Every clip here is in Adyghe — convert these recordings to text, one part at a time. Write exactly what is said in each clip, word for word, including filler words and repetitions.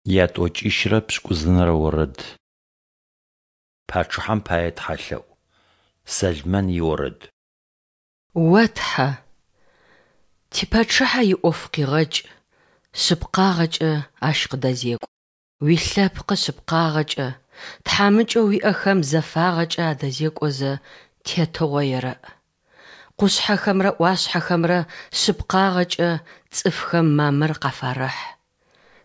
Ятӏокӏищырэ пшӏыкӏузынэрэ орэд. Пачъыхьэм пае тхьэлъэӏу. Сэлмэн иорэд. О Тхьэ, типачъыхьэ иӏоф къигъэкӏ, шъыпкъагъэкӏэ ащ къыдэзекӏу. Уилъэпкъы шъыпкъагъэкӏэ, тхьамыкӏэу уиӏэхэм зэфагъэкӏэ адэзекӏозэ тетыгъо ерэӏ. Къушъхьэхэмрэ ӏуашъхьэхэмрэ шъыпкъагъэкӏэ цӏыфхэм мамыр къафарэхь.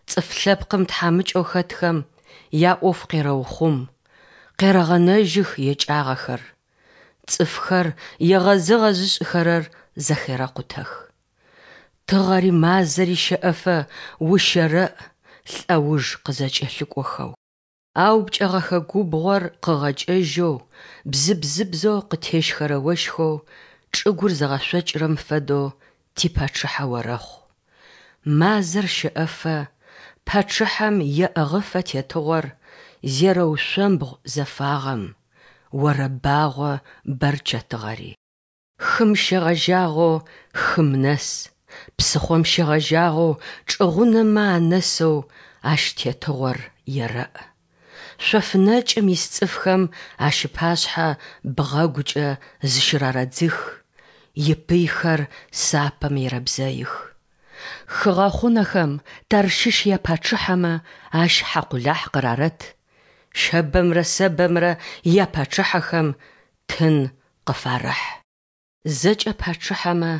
Цӏыф лъэпкъым тхьамыкӏэу хэтхэм яӏоф къерэухъум, къерэгъэнэжьых екӏагъэхэр. Цӏыфхэр егъэзыгъэ зышӏыхэрэр зэхерэкъутэх. Тыгъэри мазэри щэӏэфэ ущэрэӏ лӏэуж къызэкӏэлъыкӏохэу. Аупкӏэгъэхэ губгъор къыгъэкӏэжьэу, бзыбзыбзэу къытещхэрэ ощхэу чӏыгур зыгъэшъокӏырэм фэдэу типачъыхьэ орэхъу. Мазэр щэӏэфэ, пачъыхьэм еӏыгъыфэ тетыгъор, зерэушъомбгъу зэфагъэм, орэбагъо бэрчэтыгъэри. Хым щегъэжьагъэу хым нэс, псыхъом щегъэжьагъэу чӏыгъунэмэ анэсэу ащ тетыгъор ерэӏ. Шъоф нэкӏым ис цӏыфхэм ащ ыпашъхьэ бгъэгукӏэ зыщырарэдзых, ипыйхэр сапэм ерэбзэих. Хыгъэхъунэхэм Тарщыщ япачъыхьэмэ ащ хьакъулахь къырарэт, Щэбэмрэ Сэбэмрэ япачъыхьэхэм тын къыфарэхь. Зэкӏэ пачъыхьэмэ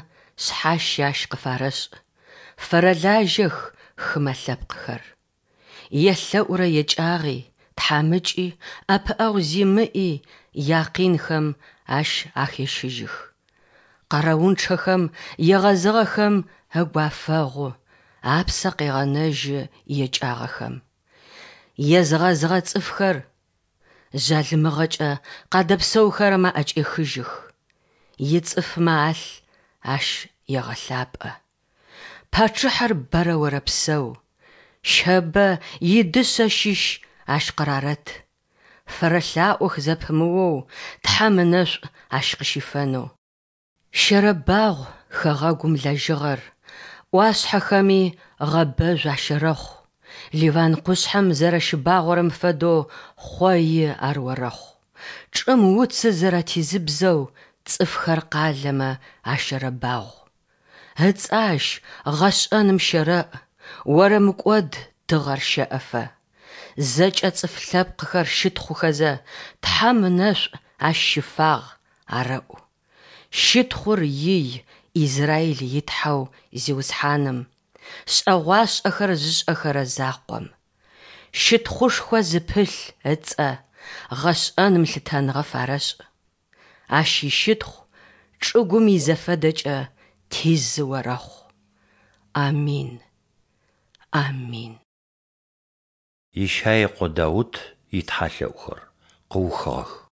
шъхьащэ ащ къыфарэшӏ, фэрэлажьэх хымэ лъэпкъхэр. Елъэӏурэ екӏагъи, тхьамыкӏи, ӏэпыӏэгъу зимыӏи якъинхэм ащ ахещыжьых. Къэрэунчъэхэм, егъэзыгъэхэм ыгу афэгъу, апсэ къегъэнэжьы екӏагъэхэм. Езыгъэзыгъэ цӏыфхэр жъалымыгъэкӏэ къадэпсэухэрэм аӏэкӏехыжьых. Ицӏыфмэ алъ ащ егъэлъапӏэ. Пачъыхьэр бэрэ орэпсэу! Щэбэ идышъэ щыщ ащ къырарэт. Фэрэлъаӏох зэпымыоу Тхьэм ынэшӏу ащ къыщифэнэу. Щэрэбагъу хэгъэгум лэжьыгъэр, ӏуашъхьэхэми гъэбэжъу ащэрэхъу, Ливан къушъхьэм зэрэщыбагъорэм фэдэу хъои ар орэхъу. Чӏым уцыр зэрэтизыбзэу цӏыфхэр къалэмэ ащэрэбагъу. Ыцӏэ ащ гъэшӏэным щэрэӏ, орэмыкӏод тыгъэр щэӏэфэ. Зэкӏэ цӏыф лъэпкъхэр щытхъухэзэ, Тхьэм ынэшӏу ащ щыфагъ, арэӏу. Щытхъур ий Израиль и Тхьэу Зиусхьаным, шӏэгъуашӏэхэр зышӏэхэрэ закъом. Щытхъушхо зыпылъ ыцӏэ гъэшӏэным лъытэныгъэ фарэшӏ. Ащ ищытхъу чӏыгум изэфэдэкӏэ тизы орэхъу. Амин! Амин! Ищай ыкъо Даут итхьэлъэӏухэр къыухыгъэх.